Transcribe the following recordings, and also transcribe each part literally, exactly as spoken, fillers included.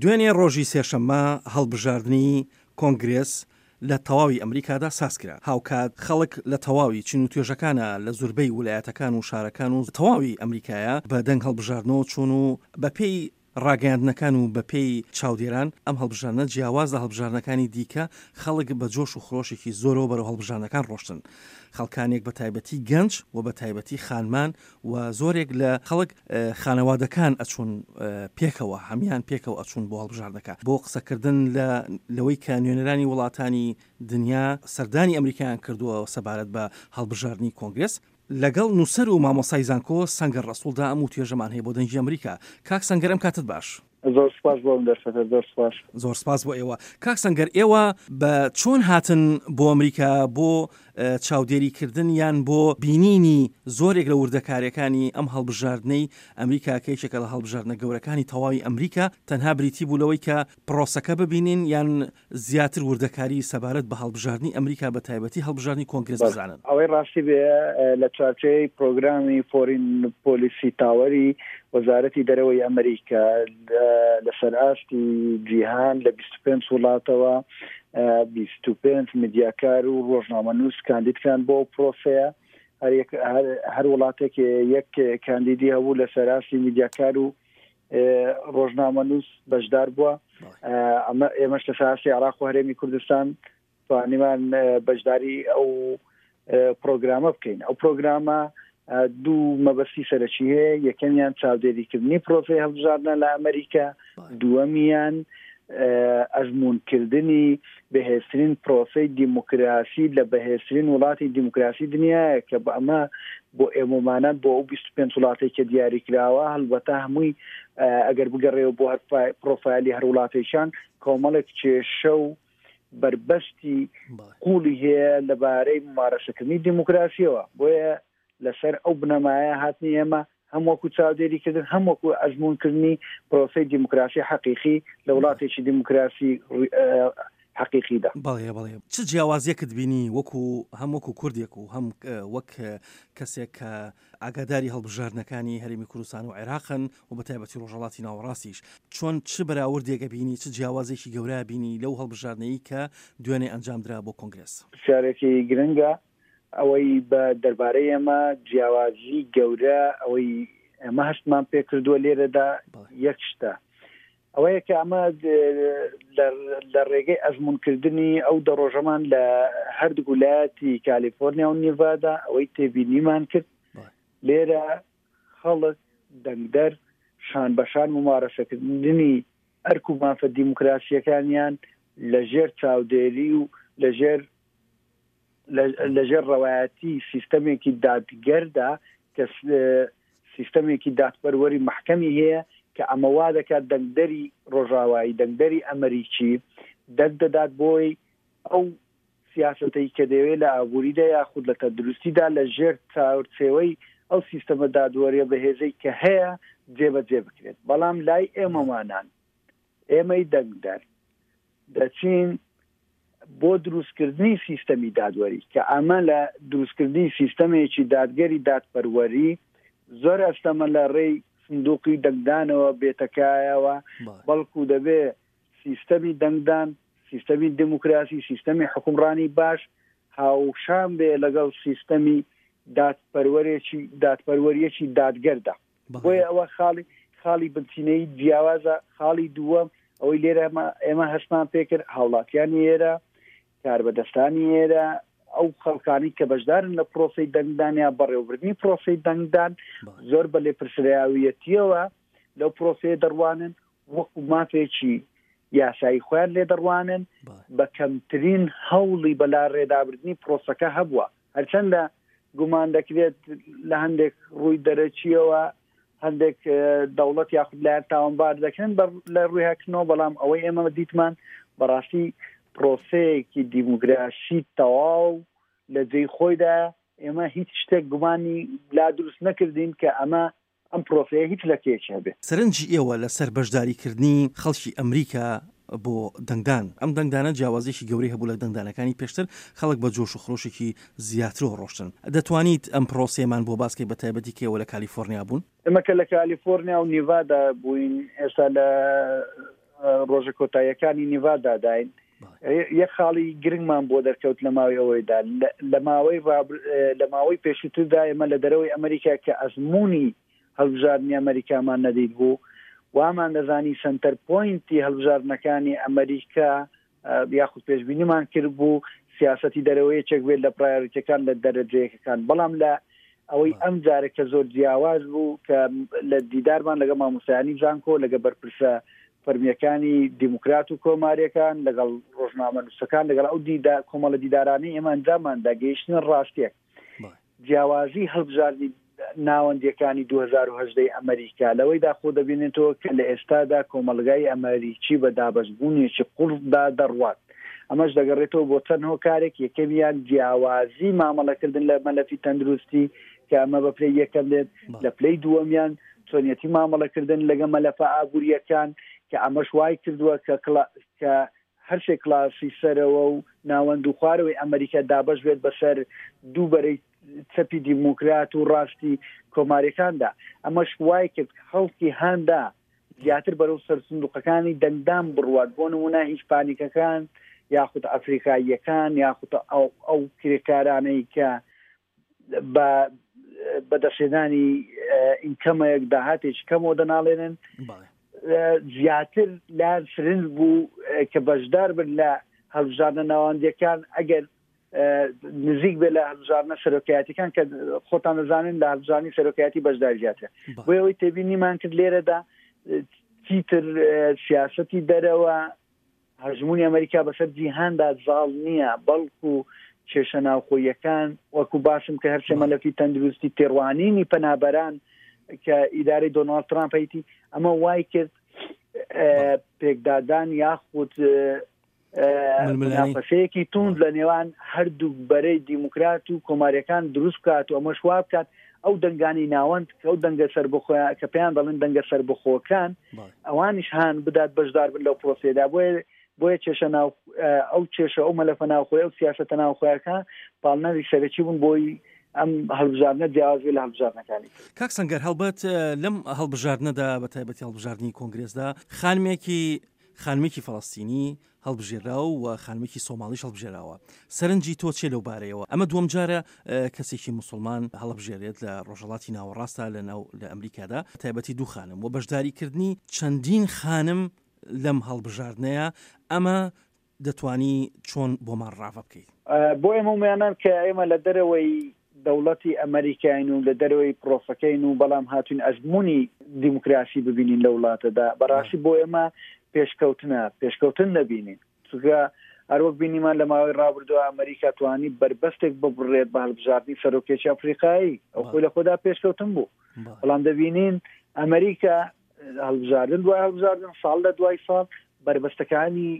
دوێنێ ڕۆژی سێشەممە هەڵبژاردنی کۆنگرێس لە تەواوی ئەمریکادا سازکرا. هاوکات خەڵک لە تەواوی چین و توێژەکانە لە زوربەی ولایەتەکان و شارەکان و تەواوی ئەمریکایە بە دەنگ هەڵبژاردنەوە چوون و بەپێی ڕاگەیاندنەکان و بەپێی چاودێران ئەم هەڵبژاردنە جیاواز لە هەڵبژاردنەکانی دیکە خەڵک بە جۆش و خرۆشێکی زۆرەوە بەرەو هەڵبژاردنەکان ڕۆشتن. خەڵکانێک بە تایبەتی گەنج و بە تایبەتی خانمان و زۆرێک لە خەڵک خانەوادەکان ئەچوون پێکەوە، هەمان پێکەوە ئەچوون بۆ هەڵبژاردنەکە بۆ قسەکردن لە لەوەی کە نوێنەرانی وڵاتانی دنیا سەردانی ئەمریکایان کردووە سەبارەت بە هەڵبژاردنی کۆنگرێس. لەگەڵ نووسەر و مامۆستای زانکۆ سەنگەر ڕەسوڵدا ئەم وتوێژەمان هەیە بۆ دەنگی ئەمریکا. کاک سەنگەر ئەم کاتت باش. زۆر سپاس بۆ ئەم دەرفەتە. زۆر سپاس. زۆر سپاس بۆ ئێوە. کاک سەنگەر، ئێوە بە چۆن هاتن بۆ ئەمریکا بۆ چاودێریکردن یان بۆ بینینی زۆرێک لە وردەکاریەکانی ئەم هەڵبژاردنەی ئەمریکا کە یەکێکە لە هەڵبژاردنە گەورەکانی تەواوی ئەمریکا، تەنها بریتی بوو لەوەی کە پرۆسەکە ببینین یان زیاتر وردەکاری سەبارەت بە هەڵبژاردنی ئەمریکا بە تایبەتی هەڵبژاردنی کۆنگرێس بزانن؟ ئەوەی ڕاستی بێ لە چوارچێوەی پرۆگرامی Foreign Policy Tower ی وەزارەتی دەرەوەی ئەمریکا لەسەر ئاستی جیهان لە بیست و پێنج وڵاتەوە بیست و پێنج میدیاکار و ڕۆژنامەنووس کاندیدکران بۆ پرۆسەیە. هەر وڵاتێک یەک کاندیدی هەبوو لەسەر ئاستی میدیاکار و ڕۆژنامەنووس بەشدار بووە. ئەمە ئێمەش لەسەر ئاستی عێراق و هەرێمی کوردستان توانیمان بەشداری ئەو پرۆگرامە بکەین. ئەو پرۆگرامە دوو مەبەستی سەرەکی هەیە. یەکەمیان چاودێریکردنی پرۆسەی هەڵبژاردنە لە ئەمریکا، دووەمیان ئەزمونکردنی بەهێزترین پرۆسەی دیموکراسی لە بەهێزترین وڵاتی دیموکراسی دنیایە کە بە ئەمە بۆ ئێمەمانان بۆ ئەو بیست و پێنج وڵاتێک کە دیاری کراوە، هەڵبەتە هەمووی ئەگەر بگەڕێەوە بۆ هەر پرۆفایلی هەر وڵاتێکیان کۆمەڵێک کێشە و بەربەستی قوڵی هەیە لەبارەی ممارەسەکردنی دیموکراسیەوە. بۆیە لەسەر ئەو بنەمایە هاتنی ئێمە هەم وەکو چاودێریکردن هەم وەکو ئەزمونکردنی پرۆسەی دیموکراسی حەقیقی لە وڵاتێکی دیموکراسی حەقیقیدا. بەڵێ بەڵێ. چ جیاوازیەکت بینی وەکو هەم وەکو کوردێک و هەم وەک کەسێک کە ئاگاداری هەڵبژاردنەکانی هەرێمی کوردستان و عێراقن و بە تایبەتی ڕۆژهەڵاتی ناوەڕاستیش، چۆن چ بەراوردێکە بینی، چ جیاوازێکی گەورە بینی لەو هەڵبژاردنەی کە دوێنێ ئەنجامدرا بۆ کۆنگرێس؟ پرسیارێکی گرنگە. ئەوەی بە دەربارەی ئێمە جیاوازی گەورە ئەوەی ئێمە هەستمان پێکردووە لێرەدا یەک شتە، ئەوەیە کە ئەمە لە ڕێگەی ئەزمونکردنی ئەو دە ڕۆژەمان لە هەردوو ولایەتی کالیفۆرنیا و نیڤادا ئەوەی تێبینیمان کرد لێرە خەڵک دەنگدەر شان بەشان ممارەسەکردنی ئەرک و مافە دیموکراسیەکانیان لەژێر چاودێری و لەژێر لەژێر ڕەوایەتی سیستەمێکی دادگەردا کە سیستەمێکی دادپەروەری محکەمی هەیە کە ئەمە وا دەکات دەنگدەری ڕۆژاوایی دەنگدەری ئەمریکی دەنگ دەدات بۆی ئەو سیاسەتەی کە دەیەوێت لە ئابووریدا یاخود لە تەندروستیدا لەژێر چاورچێوەی ئەو سیستەمە دادوەریە بەهێزەی کە هەیە جێبەجێ بکرێت. بەڵام لای ئێمەمانان ئێمەی دەنگدەر دەچین بۆ دروستکردنی سیستەمی دادوەری کە ئەمە لە دروستکردنی سیستەمێکی دادگەری دادپەروەری زۆر ئەستەمە لە ڕێی سندوقی دەنگدانەوە بێتەکایەوە، بەڵکو دەبێ سیستەمی دەنگدان، سیستەمی دیموکراسی، سیستەمی حکومڕانی باش هاوشان بێ لەگەڵ سیستەمی دادپەروەرێکی دادپەروەریەکی دادگەردا. بۆیە ئەوە خاڵی خاڵی بنچینەی جیاوازە. خاڵی دووەم ئەوەی لێرە ئێمە هەستمان پێکرد هاوڵاتیانی ئێرە، کاربەدەستانی ئێرە، ئەو خەڵکانی کە بەشدارن لە پرۆسەی دەنگدان یا بەڕێوەبردنی پرۆسەی دەنگدان زۆر بە لێپرسراویەتیەوە لەو پرۆسەیە دەڕوانن، وەکو مافێکی یاسایی خۆیان لێ دەڕوانن، بە کەمترین هەوڵی بەلا ڕێدابردنی پرۆسەکە هەبووە. هەرچەندە گومان دەکرێت لە هەندێک ڕووی دەرەچیەوە هەندێک دەوڵەت یاخود لایەن تاوانبار دەکرن لە ڕووی هەکردنەوە، بەڵام ئەوەی ئێمە دیتمان بەڕاستی پرۆسەیەکی دیموکراسی تەواو لە جێی خۆیدا ئێمە هیچ شتێک گومانی لا دروست نەکردین کە ئەمە ئەم پرۆسەیە هیچ لەکێکی هەبێت. سەرنجی ئێوە لەسەر بەشداریکردنی خەڵکی ئەمریکا بۆ دەنگدان، ئەم دەنگدانە جیاوازیەکی گەورەی هەبوو لە دەنگدانەکانی پێشتر، خەڵک بە جۆش و خرۆشێکی زیاترەوە ڕۆشتن. دەتوانیت ئەم پرۆسەیەمان بۆ باسکەی بە تایبەتی کە ئێوە لە کالیفۆرنیا بوون؟ ئێمە کە لە کالیفۆرنیا و نیڤادا بووین، ئێستا لە ڕۆژە کۆتاییەکانی نیڤاداداین، یەک خاڵی گرنگمان بۆ دەرکەوت لە ماوەی ئەوەیدا، لە ماوەی لە ماوەی پێشووتردا ئێمە لە دەرەوەی ئەمریکا کە ئەزمموی هەڵبژاردنی ئەمریکامان نەدیت بوو، وامان دەزانی center point ی هەڵبژاردنەکانی ئەمریکا یاخود پێشبینیمان کرد بوو سیاسەتی دەرەوە یەکێک بێت لە priority ەکان لە دەرەجەیەکەکان. بەڵام لە ئەوەی ئەم جارە کە زۆر جیاواز بوو کە لە دیدارمان لەگەڵ مامۆستایانی زانکۆ، لەگەڵ بەرپرسە فەرمیەکانی دیموکرات و کۆماریەکان، لەگەڵ ڕۆژنامەنووسەکان، لەگەڵ ئەو دیدا کۆمەڵە دیدارانەی ئێمە ئەنجامماندا گەیشتنە ڕاستیەک. جیاوازی هەڵبژاردنی ناوەندیەکانی دوو هەزار و هەژدە ئەمریکا لەوەیدا خۆ دەبینێتەوە کە لە ئێستادا کۆمەڵگای ئەمریکی بە دابەشبوونێکی قوڵدا دەڕوات. ئەمەش دەگەڕێتەوە بۆ چەند هۆکارێک. یەکەمیان جیاوازی مامەڵەکردن لە مەلەفی تەندروستی کە ئەمە بە پلەی یەکەم دێت، لە پلەی دووەمیان چۆنیەتی مامەڵەکردن لەگەڵ مەلەفە ئابووریەکان کە ئەمەش وای کردووە کە کە هەر سێ کلاسی سەرەوە و ناوەند و خوارەوەی ئەمریکا دابەش بێت بەسەر دوو بەرەی چەپی دیموکرات و ڕاستی کۆماریەکاندا. ئەمەش وای کرد خەڵکی هاندا زیاتر بەرەو سەرسندوقەکانی دەنگدان بڕوات، بۆ نمونە هیسپانیکەکان یاخود ئەفریقاییەکان یاخود ئەو کرێکارانەی کە بە بەدەستهێنانی ئینکەمێک داهاتێکی کەمەوە دەناڵێنن، زیاتر لایان سرنج بوو کە بەشدار بن لە هەڵبژاردنە ناوەندیەکان ئەگەر نزیک بێ لە هەڵبژاردنە سەرۆکایەتیەکان کە خۆتان دەزانن لە هەڵبژاردنی سەرۆکایەتی بەشداری زیاترە. بۆ ئەوەی تێبینیمان کرد لێرەدا چیتر سیاسەتی دەرەوە هەژمونی ئەمریکا بەسەر جیهاندا زاڵ نییە، بەڵکو کێشە ناوخۆیەکان وەکو باسم کە هەرسێ مەلەفی تەندروستی تێڕوانینی پەنابەران کە ئیدارەی دۆناڵد ترامپ هەیتی، ئەمە وای کرد پێکدادان یاخود منافەسەیەکی توند لە نێوان هەردوو بەرەی دیموکرات و کۆماریەکان دروست بکات و ئەمەش وا بکات ئەو دەنگانی ناوەند کە ئەو دەنگە سەربەخۆیان کە پێیان دەڵێن دەنگە سەربەخۆکان ئەوانیش هان بدات بەشدار بن لەو پرۆسەیەدا. بۆیە بۆیە کێشە ناو ئەو کێشە ئەو مەلەفە ناوخۆی ئەو سیاسەتە ناوخۆیەکان پاڵنەری سەرەکی بوون بۆی ئەم هەڵبژاردنە جیاواز بێ لە هەڵبژاردنەکانی. کاک سەنگەر، هەڵبەت لەم هەڵبژاردنەدا بە تایبەتی هەڵبژاردنی کۆنگرێسدا خانمێکی خانمێکی فەڵەستینی هەڵبژێراوە و خانمێکی سۆماڵیش هەڵبژێراوە. سەرنجی تۆ چێ لەو بارەیەوە؟ ئەمە دووەم جارە کەسێکی مسلمان هەڵبژێرێت لە ڕۆژهەڵاتی ناوەڕاستە لە ناو لە ئەمریکادا، تایبەتی دوو خانم و بەشداریکردنی چەندین خانم لەم هەڵبژاردنەیە، ئەمە دەتوانی چۆن بۆمان ڕاڤە بکەیت؟ بۆ ئێمە ومیانان کە ئێمە لە دەرەوەی دەوڵەتی ئەمریکاین و لە دەرەوەی پرۆسەکەین و بەڵام هاتوین ئەزمموی دیموکراسی ببینین لە وڵاتەدا، بەڕاستی بۆ ئێمە پێشکەوتنە، پێشکەوتن دەبینین. چونکە هەروەک بینیمان لە ماوەی ڕابردووە ئەمریکا توانی بەربەستێک ببڕێت بە هەڵبژاردنی سەرۆکێکی ئەفریقایی، ئەو خۆی لە خۆدا پێشکەوتن بوو. بەڵام دەبینین ئەمریکا هەڵبژاردن دوای هەڵبژاردن ساڵ لە دوای ساڵ بەربەستەکانی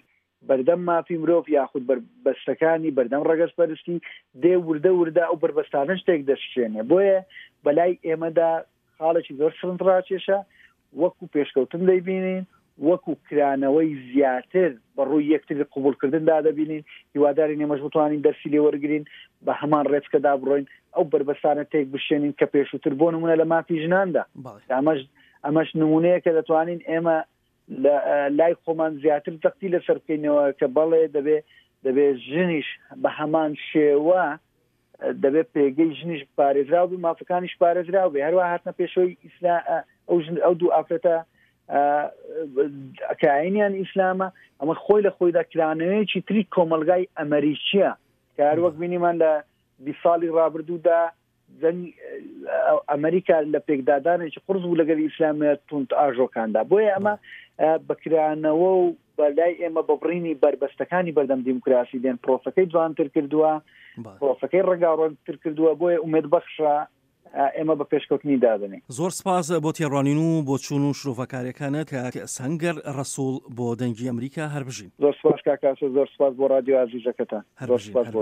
بەردەم مافی مرۆڤ یاخود بەربەستەکانی بەردەم ڕەگەزپەرستی دێ وردە وردە ئەو بەربەستانە شتێک دەشکێنێ. بۆیە بەلای ئێمەدا خاڵێکی زۆر سەرنجڕاکێشە، وەکو پێشکەوتن دەیبینین، وەکو کرانەوەی زیاتر بە ڕووی یەکتری قوبولکردندا دەبینین. هیواداری ئێمەش بتوانین دەرسی لێوەرگین، بە هەمان ڕێچکەدا بڕۆین، ئەو بەربەستانە تێک بشێنین کە پێشووتر بۆ نمونە لە مافی ژناندا. ئەمەش ئەمەش نمونەیە کە دەتوانین ئێمە لای خۆمان زیاتر زەختی لەسەر بکەینەوە کە بەڵێ دەبێ دەبێ ژنیش بە هەمان شێوە دەبێت پێگەی ژنیش پارێزراو بێ، مافەکانیش پارێزراو بێ. هەروە هاتنە پێشەوەی ئیسلا ئەو ژن ئەو دوو ئافرەتە کە ئاینیان ئیسلامە، ئەمە خۆی لە خۆیدا کرانەوەیەکی تری کۆمەلگای ئەمریکیە کە هەروەک بینیمان لە بیست ساڵی ڕابردوودا ئەمریکا لە پێکدادانێکی قورس بوو لەگەڵ ئیسلامە توند ئاژۆکاندا. بۆیە ئەمە بەکرانەوە و بەلای ئێمە بەبڕینی بەربەستەکانی بەردەم دیموکراسی دێن پرۆسەکەی جوانتر کردووە، پرۆسەکەی ڕەنگاوڕەنگتر کردووە. بۆیە ئومێد بەخشە ئێمە بە پێشکەوتنی دادەنێ. زۆر سپاس بۆ تێڕوانین و بۆچوون و شرۆڤەکاریەکانت کاک سەنگەر ڕەسوڵ بۆ دەنگی ئەمریکا. هەر بژین. زۆر سپاس کاک ئاسۆ، زۆر سپاس بۆ رادیۆ ئازیزەکەتان. زۆر سپاس بۆ